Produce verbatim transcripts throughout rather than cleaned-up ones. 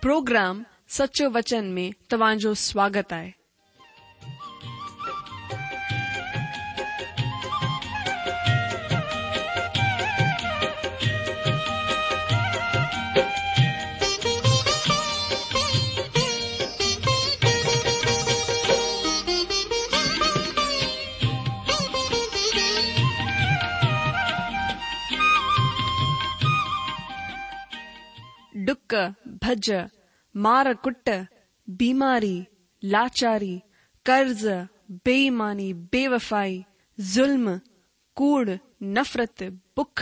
Programme سچو وچن ۾ توهان جو سواگت آهي. ڏڪ، ڀڄ، مار ڪٽ، بيماري، لاچاري، قرض، بي ايماني، بيوفائي، ظلم، ڪوڙ، نفرت، بک،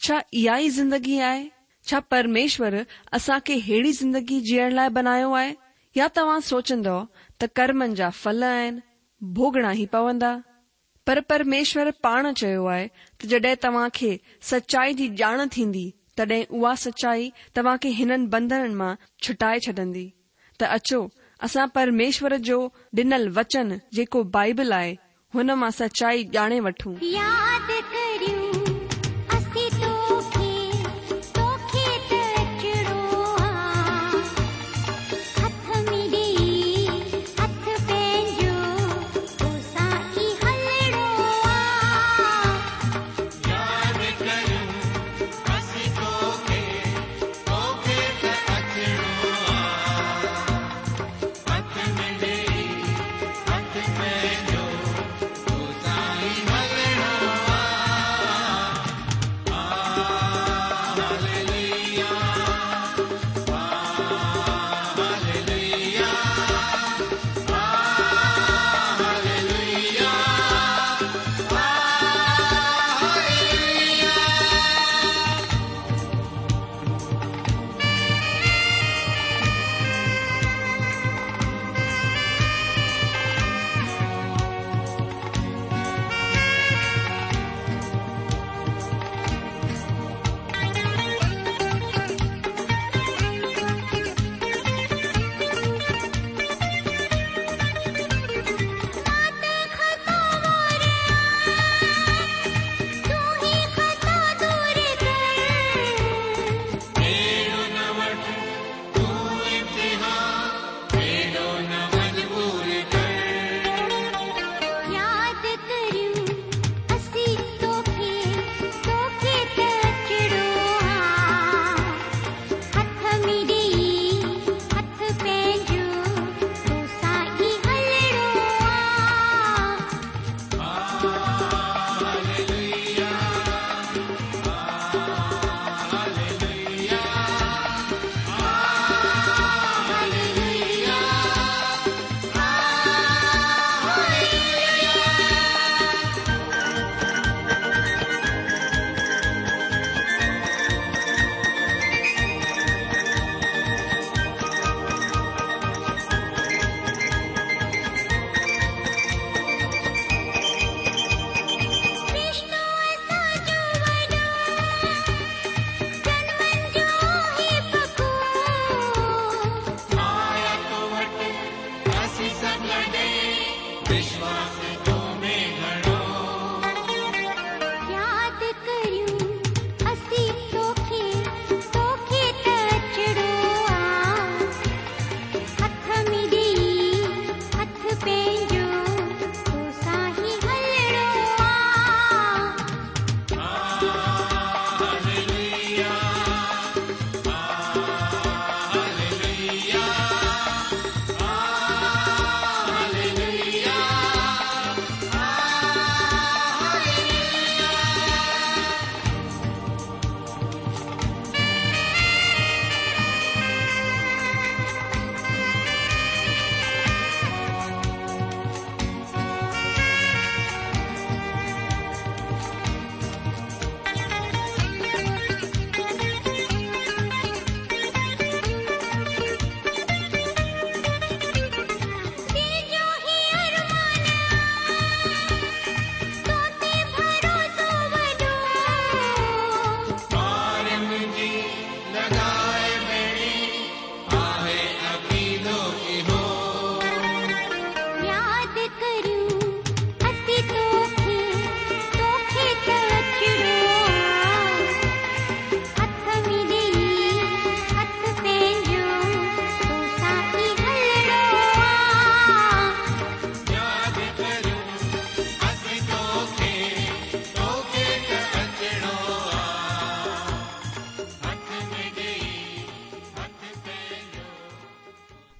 ڇا اها ئي زندگي آهي؟ ڇا پرميشور اسان کي ههڙي زندگي جيئڻ لاءِ بنايو آهي؟ يا توهان سوچندؤ ته ڪرمن جا ڦل آهن، ڀوڳڻا ئي پوندا؟ پر پرميشور پاڻ چيو آهي ته جڏهن توهان کي سچائي جي ڄاڻ ٿيندي، تڏهن اها سچائي توهان کي هنن بنڌنن مان ڇٽائي ڇڏندي. ته اچو اسان پرميشور جو ڏنل وچن جيڪو بائبل آهي، هن مان سچائي ڄاڻي وٺون. ياد ڪريون اسين توکي، توکي ته اچڻو آ. هٿ ۾ ڏيئي هٿ پنهنجو، توسان ئي هلڻو آ. ياد ڪريون اسين توکي، توکي ته اچڻو آ. هٿ ۾ ڏيئي هٿ پنهنجو، توسان ئي هلڻو آ.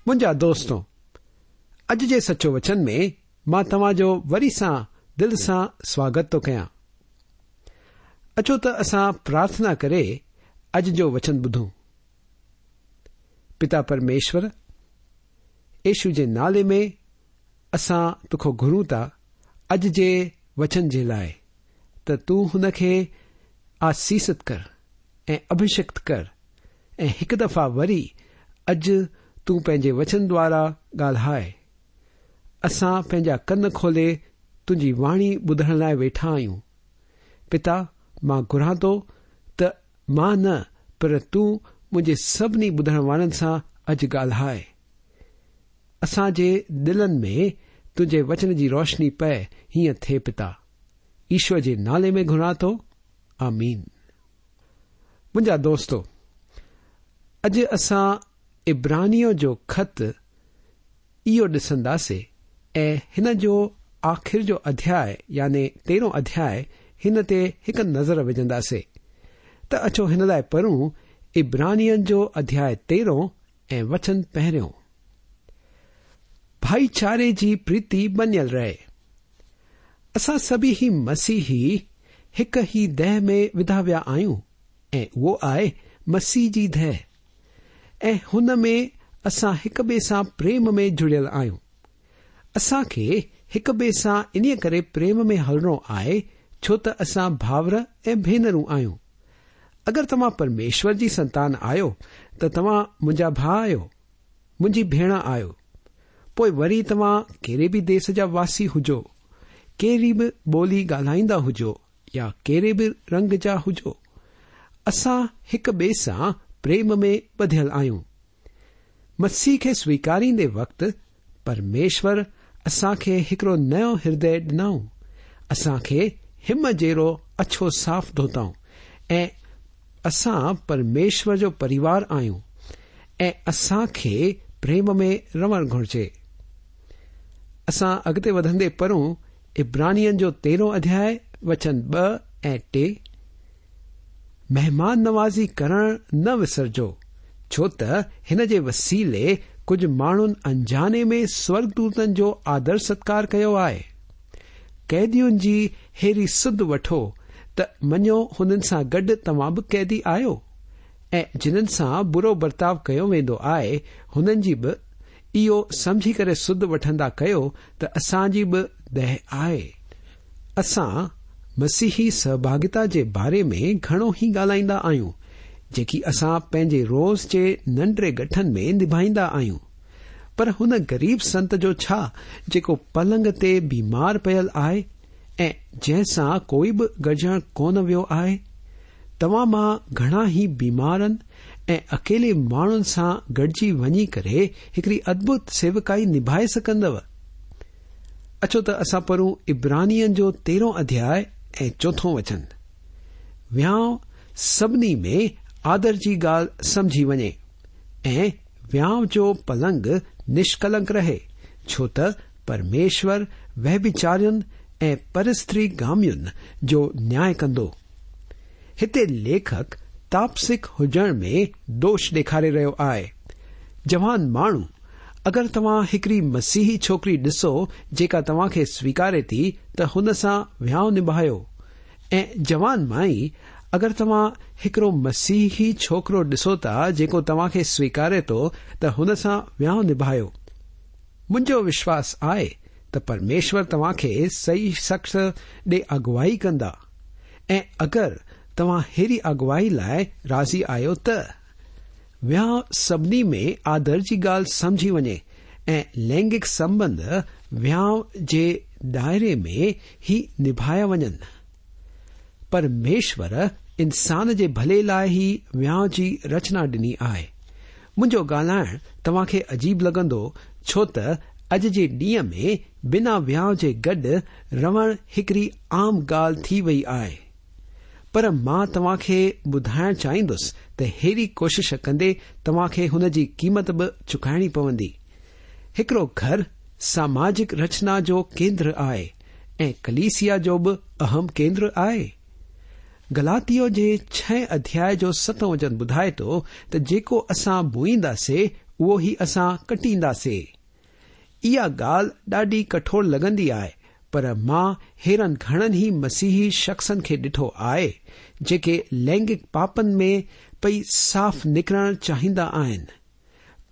منهنجا دوستو، اڄ جي سچو وچن ۾ مان توهان جو وري سان دل سان سواگت ٿو ڪيان. اچو ته اسان پرارٿنا ڪري اڄ جو وچن ٻڌون. پتا پرميشور، يشو جي نالي ۾ اسان توکان گهرون ٿا اڄ جي وچن جي لاءِ ته تون هن کي آسيست ڪر ۽ اڀشڪت ڪر ۽ هڪ دفعا وري اڄ تون پنهنجي وچن دوارا ڳالهائي. اسان پنهنجا ڪن کولي تنهنجي واڻي ٻڌڻ لاءِ ويٺا آهيون. پتا، مان گهران ٿو ته مان نه پر تون منهنجي سڀني ٻڌڻ وارن سان اڄ ڳالهائي. اسان جي دلن ۾ تنهنجي وچن جي روشني پئي، هيئن ٿئي پتا. ايشور جي نالي ۾ گهران ٿو، آمين. منهنجا دوستو، اڄ اسان عبرانيءَ جو خط اهو ڏسنداسين ۽ هن جو آخر جو اڌياء يعني تيرهون اڌياء هن تي هڪ نظر وجهنداسين. ته اچو هن لاءِ پڙهون عبرانين جو اڌياء تيرهون ۽ وچن پهريون. ڀائيچاري جي پريتي بنيل رهي. اسان سڀئي ئي مسيحي هڪ ئي ديهه ۾ وڌا ويا آهيون ۽ اهو آهي مسيح جي ديهه، ۽ هن ۾ اسان هڪ ٻئي سان پريم ۾ جڙيل آهيون. اسان کي هڪ ٻئي سان انهيءَ ڪري پريم ۾ هلڻو آهي ڇو ته اسان ڀائر ۽ ڀينرون آهيون. اگر توهان پرميشور جي سنتان آهيو ته توهان منهنجا ڀاءُ آهيو، منهنجي ڀيڻ آهيو. پوءِ وري توهان ڪهڙي به ديس جا واسي هجو، ڪهڙي به ٻولي ڳالهائيندا هجو يا ڪهڙي به رنگ جا هجو، اسان هڪ ٻئي سان پريم ۾ ٻڌيل آهيون. مسيح کي سويڪاريندي وقت پرميشور اسان کي هڪڙو نئون هردي ڏنائون. اسان کي هم جهڙو اڇو صاف ڌوتائون ۽ اسان پرميشور جو پريوار آهيون ۽ اسان کي پريم ۾ رهڻ گهرجي. اسان اڳتي وڌندي پڙهون عبرانين جو تيرهون اڌياء وچن ٻه ۽ ٽي. مهمان نوازي ڪرڻ نه وسرجو، ڇو ته هن جي وسيلي ڪجهه ماڻهن انجاني ۾ سورڳدوتن جو آدر ستڪار ڪيو آهي. قيدين جي هيڙي سڌ وٺو ته مڃو هنن سان گڏ توهان به قيدي آهيو، ۽ جنن سان برو برتاءُ ڪيو ويندو آهي هنن جي به اهو سمجهي ڪري سڌ وٺندا ڪيو ته اسان جي به ديهه آهي. اسان مسيحي سهڀاڳيتا جي باري ۾ گهڻو ئي ڳالهائيندا آهيون، جيڪي اسان پنهنجي روز جي ننڍڙي ڳٺن ۾ نڀائيندا آهيون. پر هن غريب سنت جو ڇا جيڪو پلنگ تي بيمار پيل آهي ۽ جنهن سان ڪوئي به گڏجڻ ڪونه ويو آهي؟ توهان مان گهڻا ئي بيمارن ۽ اڪيلي ماڻهن سان گڏجي وڃي ڪري هڪڙي ادڀت سيوڪائي نڀائي سگهندؤ. اچو ته اسان پڙهون عبرانين جو تيرهون اڌياء ۽ چوٿون وچن. وهانءُ سڀني ۾ آدر جي ڳالهه سمجهي وڃي ۽ وهانءُ جو پلنگ نشڪلنڪ رهي، ڇو ته پرميشور ويڀچارين ۽ پرستري گامين جو نياءُ ڪندو. هتي ليکڪ تاپسڪ هجڻ ۾ دوش ڏيکاري رهيو آهي. جوان ماڻهو، اگر توهان هڪڙي مسيحي ڇوڪري ڏسو جيڪا توهان کي سويڪاري ٿي ته هن سان وهانءُ نڀايو. ۽ جوان مائي، اگر توهان هڪڙو مسيحي ڇوڪرو ڏسو ٿا جيڪو توهان کي سويڪاري ٿو ته هن سان وهانءُ نڀايو. منهنجو وشواس آهي ته پرميشور توهان کي صحيح شخص ڏي اڳوائي ڪندا، ۽ اگر توهان هيڙي اڳوائي لاءِ راضي آهيو ته وهانءُ سڀني ۾ آدر جي ڳالهه سمجهي وڃي ۽ لينگڪ سنٻنڌ وهانءُ جي دائري ۾ ئي نڀايا وڃن. پرميشور انسان جي ڀلي لاءِ ئي وهانءُ جي رچنا ڏني آهي. منهنجو ڳالهائڻ توهان کي عجيب لڳندو، ڇو ته اڄ جي ڏينهن ۾ بنا وهانءُ جي گڏ رهڻ هڪڙي عام ڳالهه ٿي وئي آهي. پر مان توهان کي ٻڌائڻ چاهيندس ته هيڙي ڪوشش ڪندي توهان کي هن جي قيمت به چڪائڻي پوندي. هڪڙو گهر ساماجڪ رچنا جو ڪيندر آهي ۽ ڪليسيا جو به اهم ڪيندر آهي. گلاتيو جي ڇهين اڌياءِ جو ستون وچن ٻڌائي ٿو ته جيڪو اسان بوئينداسي اهو ئي اسان ڪٽينداسي. اها ڳالهه ڏاڍي ڪٺور لڳندي آهي، پر مان هيڙن گهڻن ئي مسيحي شخصن کي ڏٺو آهي جيڪي لينگڪ پاپن ۾ پئي صاف نڪرڻ چاهيندا آهن،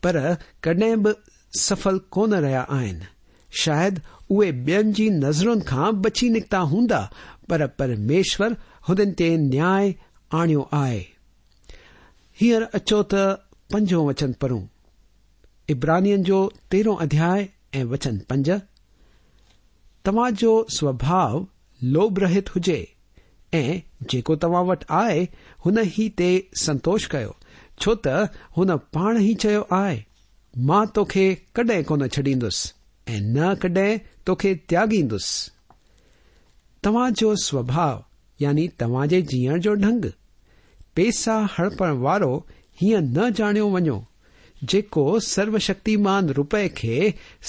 پر ڪڏهن به سڦل ڪونه رهيا آهن. شايد اهي ٻين جي نظرن کان بچي نڪتا هوندا، پر پرميشور هنن تي نياء آڻيو آهي. هينئر اچو ته پنجون وچن پڙهون. عبرانين جو تيرهون اڌياء ۽ وچن پنج. توهان جو سوڀاء لوڀ رهت هجي ۽ جيڪو توهان وٽ آهي هن ئي تي سنتوش ڪيو، ڇو ته هن پاڻ ئي چيو آهي، مان توکي ڪڏهن ڪونه ڇڏيندس ۽ نه ڪڏهن توکي تياڳيندس. توهان جو سوڀاء يعني توهان جي جيئڻ جو ڍنگ، پئسا هڙپڻ وارو هيئن نه ڄاڻيو وڃو، جيڪو سروشڪتيمان رپئي کي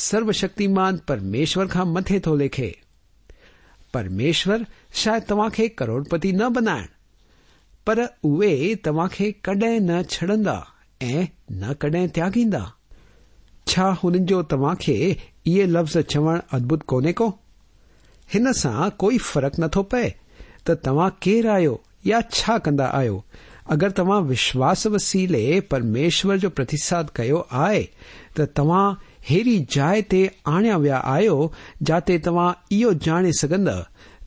سروشڪتيمان پرميشور کان مٿي ٿو ليکي. پرميشور شايد توهان کي ڪروڙپتي نه بنائڻ، پر اهي توهان کي ڪڏهن نه ڇڏندا ۽ نه ڪڏهن تياڳيندا. ڇا هنن جو توهان کي اهي لفظ چوڻ ادڀت ڪونهي ڪو؟ هن سان ڪوئي فرق نٿو پئي ته توهان ڪير آهيو يا ڇا ڪندا آهيو. اگر توهان وشواس وسيلي پرميشور جو پرتساد ڪيو آهي ته توهان هيڙي جاءِ تي آڻيا ويا آهيو جاتي توهان اهو ڄاڻي سگهندا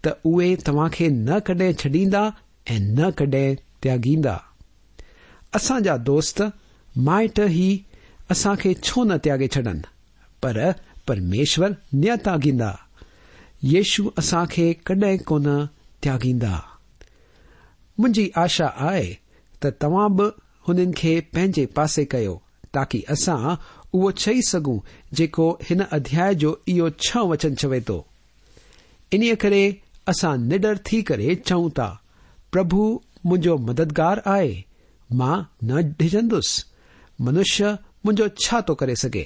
ته اهي توهان کي نه ڪڏهن ڇڏيندا ۽ نه ڪڏهن تياڳيندا. اسان جا دوست مائٽ ئي اسان کي ڇو نه تياڳي ڇڏن، پر پرميشور نه تياڳيندا. يشو اسان کي ڪڏهن ڪونه تياڳيندا. منهنجي آشا آهي ته توهان به هنن کي پنهنجي پاسي ڪيو، تاڪه اسان اهو چئي سگهون جيڪو هن اڌياء جو اهو ڇهه وچن چوي ٿو. انهيء ڪري اسان نڊر ٿي ڪري چئون ٿا، پرڀو منهنجو مددگار آهي، مان نه ڊڄندس، منشيه منهنجو ڇا ٿو ڪري سگهي؟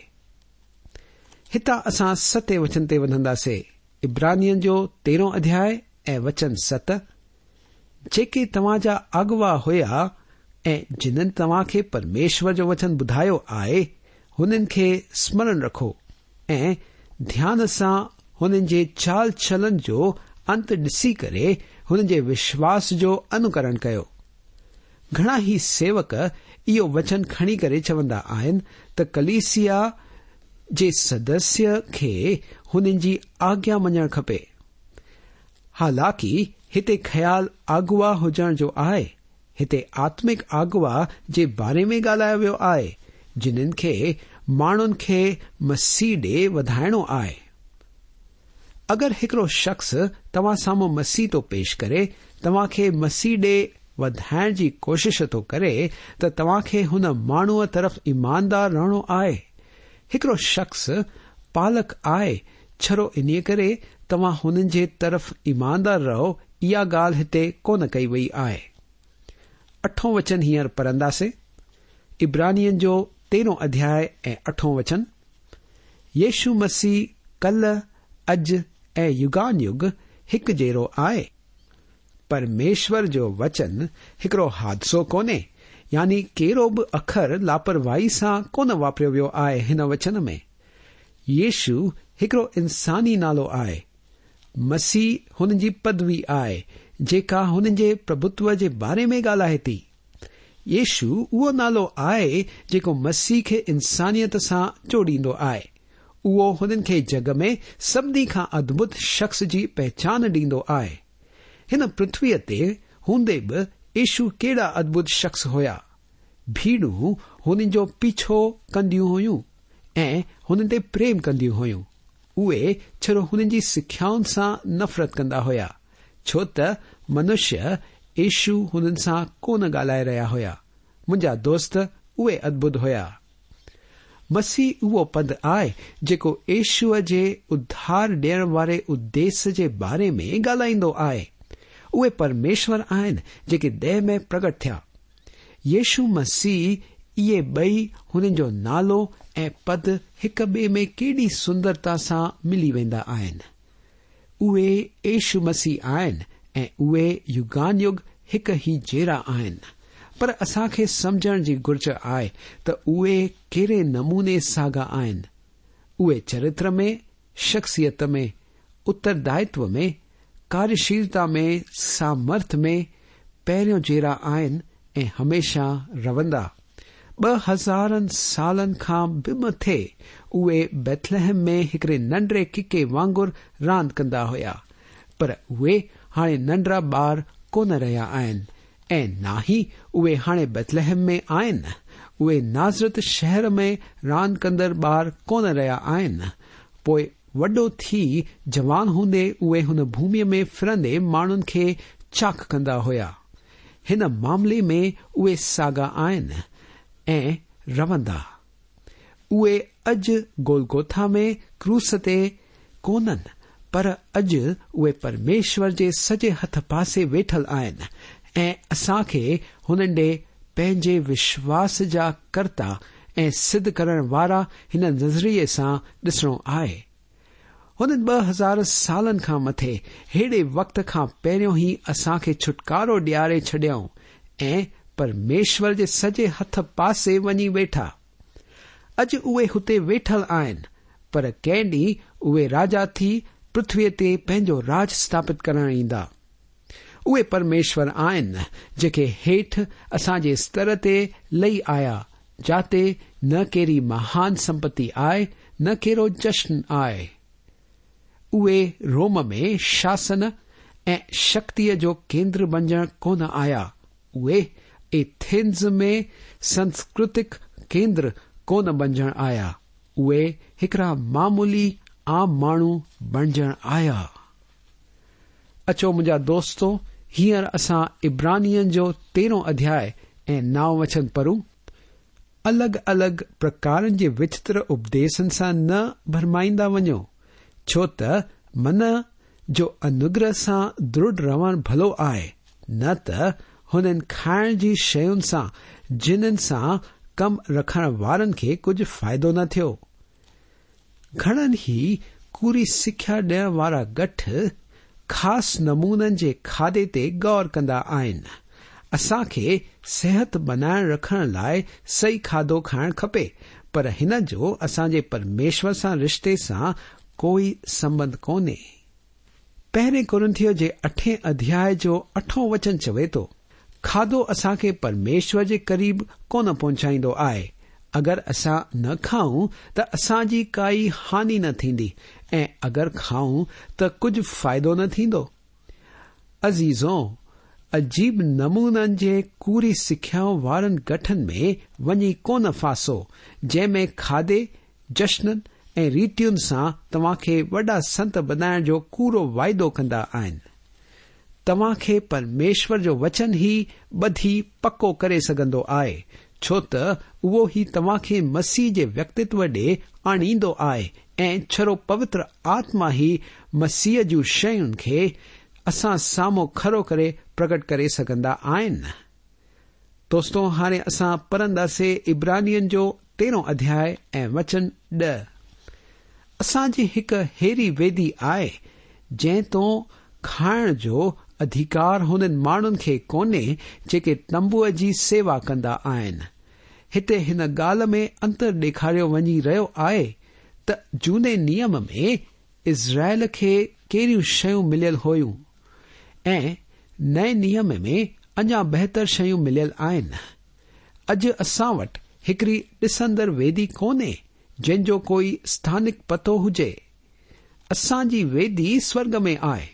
هتان اسان ستين وچن تي وڌنداسين. عبرانين جو تيرهون اڌياء ۽ وچن ست. جيڪي توهان جا اڳوا هيا ۽ جنن توهان کي پرميشور جو وچن ٻڌايو آهي، هنن کي سمرڻ رکو ۽ ڌيان سان هنن جي چال چلن جو انت ڏسي ڪري هنن جي وشواس جو انوڪرڻ ڪيو. گهڻا ئي سيوڪ اهو وچن کڻي ڪري چوندا آهن ته ڪليسيا جي سدسيه کي هنن جي آگيا مڃڻ کپي. حالانڪه هتي خيال اڳوا هجڻ جو آهي، هتي آتمڪ اڳوا جي باري ۾ ڳالهايو ويو آهي، جنن کي ماڻهن کي مسيح ڏي وڌائڻو آهي. اگر هڪڙو شخص توهان سامهون مسيح ٿو پيش ڪري، توهان کي مسيح ڏي وڌائڻ جي ڪوشش ٿو ڪري، ته توهان کي هن ماڻهوءَ طرف ايماندار رهڻو آهي. هڪڙو شخص پالڪ آهي، ڇڙو انهيءَ ڪري توهان هنن جي طرف ايماندار رهو، اها ڳالهه هتي ڪونه ڪئي وئي آهي. اٺون وچن هينئر پڙهنداسين. عبرانين جو تيرهون اڌياء ۽ اٺون وچن. يشو مسيح ڪلهه، اڄ ۽ يگان يگ هڪ جهڙو آهي. پرميشور جو وچن هڪڙو حادثو ڪونهي، يعني ڪهڙو به اکر لاپرواهي سان ڪونه واپريو ويو آهي هن وچن ۾. يشو هڪڙو انساني نالو آهي. مسيح هن جي پدوي آهي جيڪا هن جي پرڀتو جي باري ۾ ڳالهائي ٿي. يشو اهو نالو آهي جيڪو مسيح کي انسانيت سان جوڙيندو آهي. اهو هنن کي جڳ ۾ سڀني کان ادڀت شخص جي پهچان ڏيندو آهي. هن پرٿويءَ تي هوندي به يشو ڪهڙا ادڀت شخص هيا. ڀيڙون هنن جو پيڇو ڪنديون هيون ۽ هنن تي پريم ڪنديون هيون. اهي ڇڙو هنن جي سکيائن سان نفرت ڪندا هيا، ڇو ته منشيه يشو هنن سان ڪونه ڳالهائي رهيا هيا. منهنجا دوست، اهي ادڀت هيا. مسيح اهو پد آهي جيڪو يشوءَ جي اڌار ڏيڻ واري اديش جي باري ۾ ڳالهائيندو آهي. اهي پرميشور آهن جيڪي ديهه ۾ پرگٽ ٿيا. يشو مسيح اهي ٻئي هنن جو نالو ۽ پد هڪ ٻئي ۾ ڪيڏي سندرتا سان ملي ويندا آهن. اهي يشو مسيح آهن ۽ اهي يگان يگ هڪ ئي جهڙا آهن. पर असांखे सम्झण जी घुर्ज आहे त उहे कहिड़े नमूने साॻा आहिनि। उहे चरित्र में, शख़्सियत में, उत्तरदायित्व में, कार्यशीलता में, सामर्थ में पहिरियों जहिड़ा आहिनि ऐं हमेशा रवंदा। ॿ हज़ारनि सालनि खां बि मथे उहे बेथलहम में हिकिड़े नंढड़े किके वांगुरु रांदि कंदा हुया, पर उहे हाणे नंढड़ा ॿार कोन रहिया आहिनि ऐं न ई उहे हाणे बेथलहम में आहिनि। उहे नाज़रत शहर में रांदि कंदड़ ॿार कोन रहिया आहिनि। पोइ वॾो थी जवान हूंदे उहे हुन भूमीअ में फिरंदे माण्हुनि खे चाक कंदा हुया। हिन मामले में उहे साॻा आहिनि ऐं रवंदा। उहे अॼु गोलगोथा में क्रूस ते कोन्हनि, पर अॼु उहे परमेश्वर जे सॼे हथ पासे वेठल आहिनि ऐं असांखे हुननि ॾे पंहिंजे विश्वास जा कर्ता ऐं सिद्ध करण वारा हिन नज़रिए सां ॾिसणो आहे। हुननि ॿ हज़ार सालनि खां मथे अहिड़े वक़्त खां पहिरियों ई असांखे छुटकारो ॾियारे छॾियऊं ऐं परमेश्वर जे सॼे हथ पासे वञी वेठा। अॼु उहे हुते वेठल आहिनि, पर कंहिं ॾींहुं उहे राजा थी पृथ्वीअ ते पंहिंजो राज स्थापित करण ईंदा। उहे परमेश्वर आहिनि जेके हेठि असांजे स्तर ते लही आया, जाते न कहिड़ी महान संपत्ति आहे न कहिड़ो जश्न आहे। उहे रोम में शासन ऐं शक्तिअ जो केंद्र बणिजण कोन आया। उहे एथेंस में सांस्कृतिक केंद्र कोन बणिजण आया। उहे हिकिड़ा मामूली आम माण्हू बणिजण आया। अचो मुंहिंजा दोस्तो, हींअर असां इब्रानियनि जो तेरहों अध्याय ऐं नाव वचन पढ़ूं। अलॻि अलॻि प्रकारनि जे विचित्र उपदेशनि सां न भरमाईंदा वञो, छो त मन जो अनुग्रह सां दृढ़ रहणु भलो आहे, न त हुननि खाइण जी शयुनि सां जिन्हनि सां कमु रखण वारनि खे कुझु फ़ाइदो न थियो। घणनि ई कूड़ी सिख्या ॾियण वारा गठ ख़ासि नमूननि जे खाधे ते गौर कंदा आहिनि। असांखे सिहत बनाए रखण लाइ सही खाधो खाइणु खपे, पर हिन जो असांजे परमेश्वर सां रिश्ते सां कोई संबंध कोन्हे। पहिरें कुरिन्थियो जे अठें अध्याय जो अठों वचन चवे थो, खाधो असांखे परमेश्वर जे क़रीब कोन पहुचाईंदो आहे। अगरि असां न खाऊं त असांजी काई हानि न थींदी ऐं अगरि खाऊं त कुझु फ़ाइदो न थींदो। अज़ीज़ो, अजीब नमूननि जे कूड़ी सिख्याउनि वारनि गठनि में वञी कोन फासो, जंहिंमें खाधे, जश्ननि ऐं रीतियुनि सां तव्हांखे वॾा संत बनाइण जो कूड़ो वाइदो कंदा आहिनि। तव्हांखे परमेश्वर जो वचन ई ॿधी पको करे सघंदो आहे, छो त उहो ई तव्हांखे मसीह जे व्यक्तित्व ॾे आणींदो आहे ऐं छड़ो पवित्र आत्मा ई मसीह जूं शयुनि खे असां साम्हूं खरो करे प्रगट करे सघंदा आहिनि। दोस्तो, हाणे असां पढ़ंदासीं इब्रानियनि जो तेरहों अध्याय ऐं वचन ॾह। असांजी हिकु अहिड़ी वेदी आहे जंहिं तो खाइण जो अधिकार हुननि माण्हुनि खे कोन्हे जेके तंबूअ जी सेवा कंदा आहिनि। हिते हिन ॻाल्हि में अंतर ॾेखारियो वञी रहियो आहे त जूने नियम में इज़राइल खे कहिड़ियूं शयूं मिलियल हुयूं ऐं नए नियम में अञा बहितर शयूं मिलियल आहिनि। अॼु असां वटि हिकिड़ी ॾिसंदड़ वेदी कोन्हे जंहिंजो कोई स्थानिक पतो हुजे। असांजी वेदी स्वर्ग में आहे,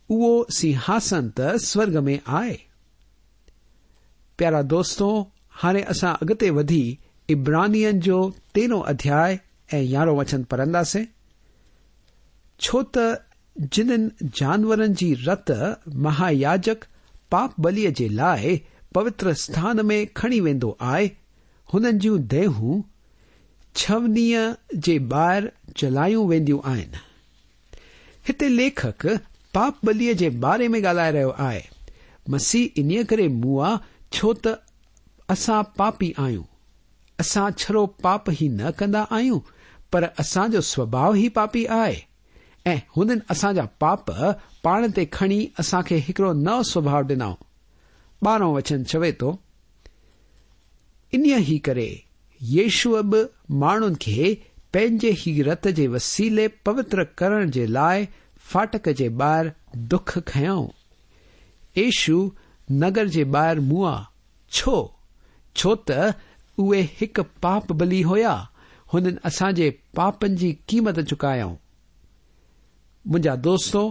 उहो सिंहासन त स्वर्ग में आहे। प्यारा दोस्तो, हाणे असां अॻिते वधी इब्रानियनि जो तेरहों अध्याय ऐं यारहों वचन पढ़ंदासीं। छो त जिन्हनि जानवरनि जी रत महायाजक पाप बलिअ जे लाइ पवित्र स्थान में खणी वेंदो आहे, हुननि जूं देहूं छवनीअ जे ॿाहिरि जलायूं वेंदियूं आहिनि। हिते लेखक पाप बलिअ जे बारे में ॻाल्हाए रहियो आहे। मसीह इन्हीअ करे मुआ छो त असां पापी आहियूं। असां छड़ो पाप ई न कंदा आहियूं, पर असांजो स्वभाव ई पापी आहे ऐं हुननि असांजा पाप पाण ते खणी असांखे हिकिड़ो नओं स्वभाव ॾिनऊं। ॿारहों वचन चवे थो, انهيء ئي ڪري يشوع به ماڻهن کي پنهنجي ئي رت جي وسيلي پوتر ڪرڻ جي لاء ڦاٽڪ جي ٻاهر دک کنيائون. يشوع نگر جي ٻاهر مئا. ڇو؟ ڇو ته اهي هڪ پاپ بلي هيا. هنن اسان جي پاپن جي قيمت چڪايائون. منهنجا دوستو،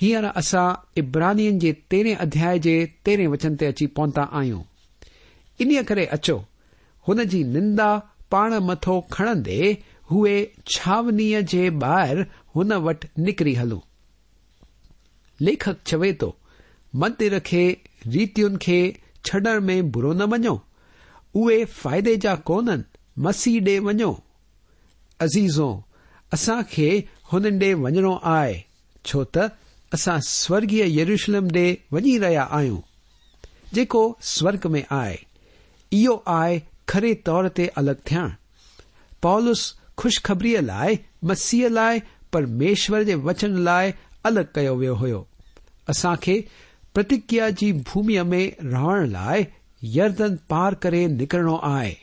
هينئر اسان عبرانين جي تيرهين اڌياء جي تيرهين وچن تي اچي پهتا آهيون. انهيء ڪري اچو، هن جي نندا پاڻ مٿو کڻندي هئي ڇانوڻيء جي ٻاهر هن وٽ نڪري هلون. ليکڪ چوي ٿو، مندر کي ريتين کي ڇڏڻ ۾ برو نه مڃو، اهي فائدي جا ڪونهن، مسيح ڏي وڃو. عزيزو، اسان کي هنن ڏي وڃڻو آهي، ڇو ته اسان سورڳيه يروشلم ڏي وڃي رهيا آهيون، جيڪو سورڳ ۾ آهي. اهو آهي کري طور تي الڳ ٿيڻ. پولس خوشخبريء لاء، مسيح لاء، پرميشور جي وچن لاء الڳ ڪيو ويو هيو. اسان کي پرتگيا جي ڀوميء ۾ رهڻ لاء يردن پار ڪري نڪرڻو آهي.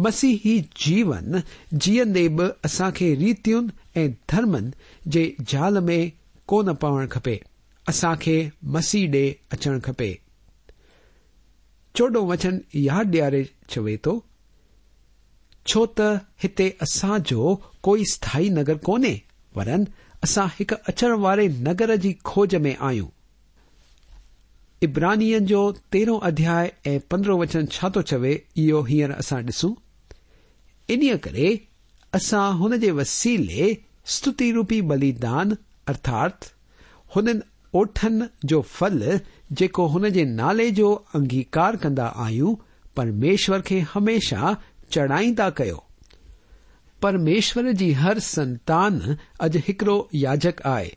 مسيحي جيون جيئندي به اسان کي ريتين ۽ ڌرمن جي جال ۾ ڪونه پوڻ کپي. اسان کي مسيح ڏي اچڻ کپي. چوڏهون وچن ياد ڏياري چوي ٿو، ڇو ته هتي اسان جو ڪوئي اسٿائي نگر ڪونهي، ورن اسان هڪ اچڻ واري نگر جي کوج ۾ آهيون. عبرانين جو تيرهون اڌياء ۽ پندرهون وچن ڇا ٿو چوي، اهو هينئر اسان ڏسون. انهيء ڪري اسان هن جي وسيلي استتي روپي بليدان، ارٿات هنن اوٺن جو ڦل جيڪو هن جي نالي جو انگيڪار ڪندا آهيون، پرميشور کي هميشه چڙهائيندا ڪيو. پرميشور جي هر سنتان اڄ هڪڙو ياجڪ آهي،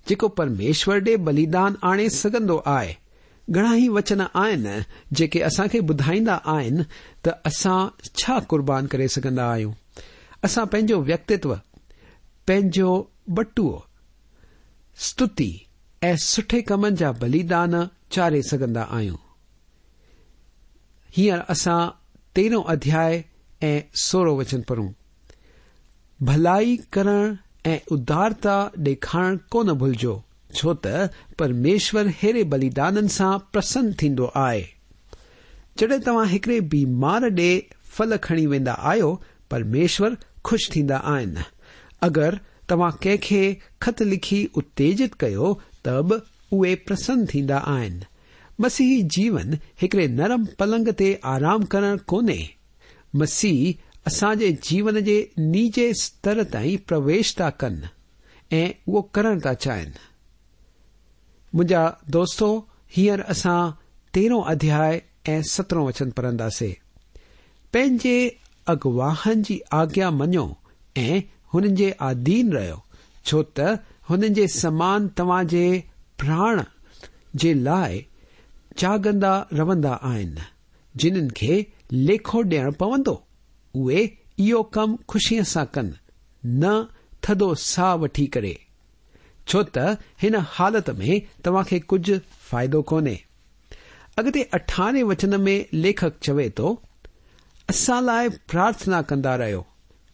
جيڪو پرميشور ڏي بليدان آڻي سگهندو آهي. گهڻا ئي وچن آهن جيڪي اسان کي ٻڌائيندا آهن ته اسان ڇا قربان ڪري سگهندا آهيون. اسان پنهنجو ويڪتتو، پنهنجو ٻٽوئو، استتي ۽ سٺي ڪمن جا بليدان چاڙهي سگهندا آهيون. هينئر اسان تيرهون اڌياء ۽ سورهون وچن پڙهون. ڀلائي ڪرڻ ۽ ادارتا ڏيکارڻ ڪونه ڀلجو، ڇو ته پرميشور ههڙي بليدانن سان پرسن ٿيندو آهي. جڏهن توهان هڪڙي بيمار ڏي ڦل کڻي ويندا آهيو، پرميشور خوش ٿيندا آهن. اگر توهان ڪنهن کي خط لکي اتيجت ڪيو ته به اهي پرسن ٿيندا آهن. مسيحي جيون هڪڙي نرم پلنگ تي آرام ڪرڻ ڪونهي. مسيح اسان جي جيون جي نجي ستر تائين پرويش ٿا ڪن ۽ اهو ڪرڻ ٿا چاهين. منهنجا دوستو، هينئر اسان تيرهون اڌياء ۽ سترهون وچن پڙهنداسين. پنهنجي اڳواهن جي آگيا مڃو ۽ هنن جي آڌين رهيو، ڇو ته هنن جي سمان توهان جي پراڻ جي لاء جاڳندا رهندا آهن، جنن کي ليکو ڏيڻ پوندو. اهي اهو ڪم خوشيءَ سان ڪن، نه ٿڌو ساهه وٺي ڪري، ڇو ته هن حالت ۾ توهان کي ڪجهه فائدو ڪونهي. اڳتي اٺارهين وچن ۾ ليکڪ چوي ٿو، اسان لاءِ پرارٿنا ڪندا رهيو،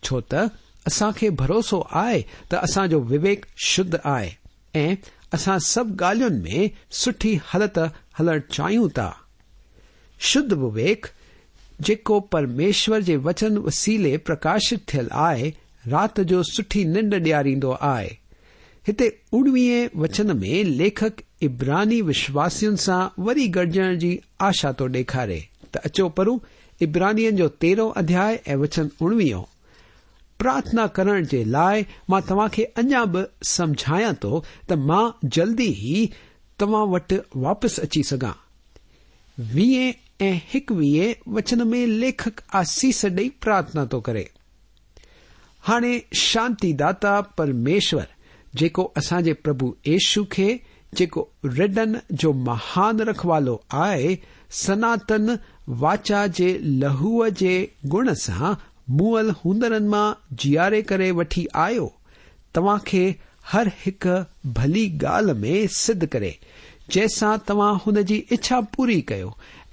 ڇو ته اسان کي ڀروسو آهي ته اسان جو وويڪ شڌ آهي ۽ اسان سڀ ڳالهين ۾ سٺي هلت هلڻ چاهيون ٿا. شڌ وويڪ جيڪو پرميشور جي وچن وسيلي پرڪاشت ٿيل آهي، رات جو سٺي ننڊ ڏياريندو آهي. هتي اڻويهين وچن ۾ ليکڪ عبراني وشواسين سان وري گڏجڻ جي آشا ٿو ڏيکاري. ته اچو پڙهون عبرانين جو تيرهون اڌياء ۽ وچن اڻويهون. پرارٿنا ڪرڻ جي لاءِ مان توهان کي اڃا به سمجهايان ٿو ته مان جلدي ئي توهان وٽ واپس اچي سگهان. ويهين ۽ هڪويهين وچن ۾ ليکڪ آسيس ڏئي پرارٿنا ٿو ڪري. هاڻي شانتي داتا پرميشور، جيڪو اسان جي پرڀو يشو کي، جيڪو رڍن جو مهان رکوالو آهي، سناتن واچا جي لهوءَ جي گڻ سان مئل هوندڙن مان جياري ڪري وٺي آيو، توهان کي هر هڪ ڀلي ڳالهه ۾ سڌ ڪري، جنهن سان توهان هن جي اڇا پوري ڪيو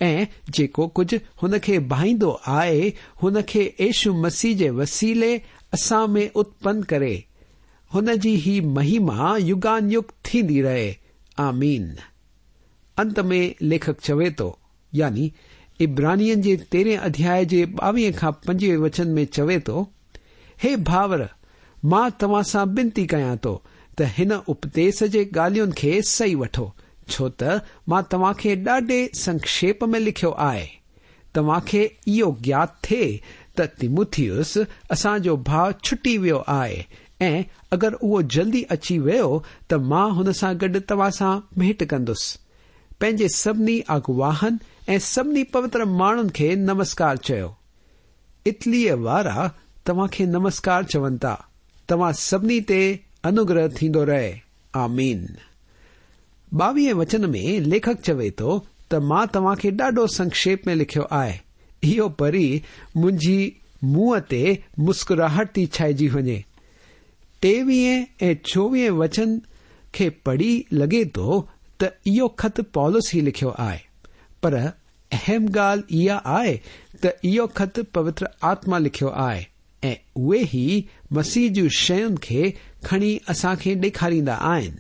۽ جيڪو ڪجهه هن کي ڀائيندو آهي هن کي يشو مسيح جي وسيلي اسان ۾ اتپن ڪري. هن جي هي مهما يگان يگ ٿيندي رهي. آمين. انت ۾ ليکڪ چوي ٿو، يعني عبرانين جي تيرهين اڌياء جي ٻاويهه کان پنجويهه وچن ۾ چوي ٿو، هي ڀائر، مان توهان سان بنتي ڪيان ٿو ته هن اپديس جي ڳالهين کي صحيح وٺو، ڇو ته مان توهان کي ڏاڍي سنڪشيپ ۾ لکيو آهي. توهان کي اهو گيات ٿئي ته تيموٿيوس اسان جو ڀاءُ ڇٽي ويو آهي ۽ اگر اهو جلدي اچي ويو ته مان هن سان گڏ توهان سان ڀيٽ ڪندس. پنهنجي سڀني اڳواهن ۽ سڀني پوتر ماڻهن کي نمسڪار چيو. اٽليء وارا توهان کي نمسڪار چون ٿا. توهان سڀني تي انوگره ٿيندو رهي. آمين. ٻاويهه وچن ۾ ليکڪ چوي ٿو ته مان توهان کي ڏاڍو سنڪشيپ ۾ لکيو آهي. اهو پڙهي منهنجي منهن تي مسڪراهٽ ٿي ڇائجي وڃي. ٽيويهه ۽ چوويهه وچن کي پڙهي لڳي ٿو ته اهو خط پولس ئي لکيو آهي، پر اهم ڳالهه اها آهي ته اهو خط پوتر آتما لکيو آهي ۽ اهي ئي مسيح جون شين کي کڻي اسان کي ڏيکاريندا آهن.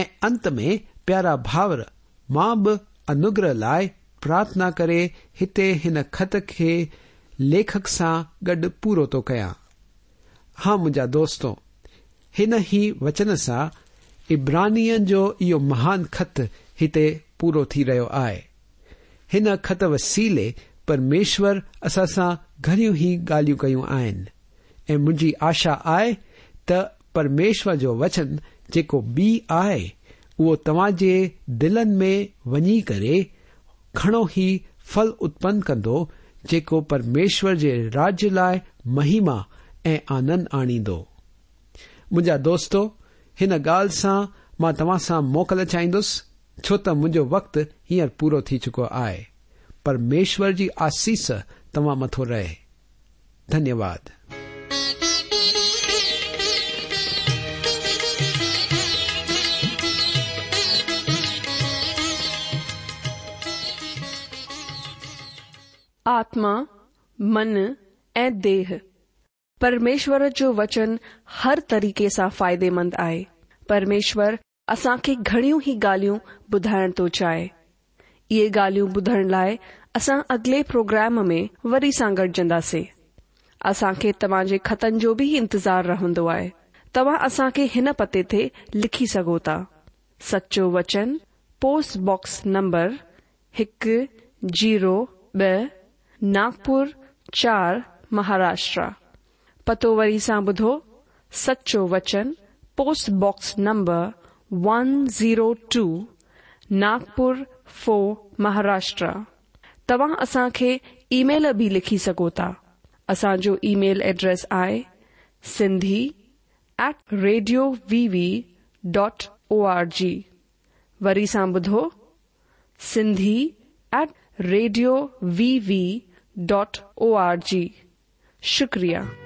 ۽ انت ۾ پيارا ڀائر، مان به انوگره لاءِ پرارٿنا ڪري هتي هن خط کي ليکڪ سان گڏ پورو ٿو ڪيان. ها منهنجا دوستو، هن ئي وچن سان عبرانين جو اهو مهان خط هتي پورو ٿي رهيو آهي. هن خط وسيلي پرميشور اسان سان گهڻيون ئي ڳالهيون ڪيون آهن ۽ منهنجي آشا آهي ته پرميشور جو وچن جيڪو ٻي آهي اهو توهان جي دلن ۾ وڃي ڪري گهڻو ئي ڦل اتپن ڪندو، جيڪو پرميشور جي راجيه لاءِ مهما ۽ آنند آڻيندو. منهنجا دوستو، هن ڳالهه سان مان توهان سان موڪل چاهيندس، ڇو ته منهنجو وقت هينئر پورو ٿي چڪو آهي. پرميشور جي آسيس توهان مٿو رهي. ڌنيواد. آتما، من ۽ ديهه. پرميشور جو وچن هر طريقي سان فائديمند آهي. پرميشور اسان کي گهڻيون ئي ڳالهيون ٻڌائڻ ٿو چاهي. اهي ڳالهيون ٻڌڻ لاءِ اسان اڳلي پروگرام ۾ وري سان گڏجنداسين. اسان کي توهان جي خطن جو به انتظار رهندو آهي. توهان اسان کي هن پتي تي لکي سگهو ٿا. سچو وچن، پوسٽ باڪس نمبر هڪ زيرو ٻه، ناگپور چار، مهاراشٽر. پتو وري سان ٻڌو، سچو وچن، post box number one zero two, Nagpur four, Maharashtra. توهان اسان کي اي ميل به لکي سگهو ٿا. اسان جو اي ميل ايڊريس آهي Sindhi at radio V V dot O R G. وري سان ٻڌو، Sindhi at radio V V dot O R G. شڪريه.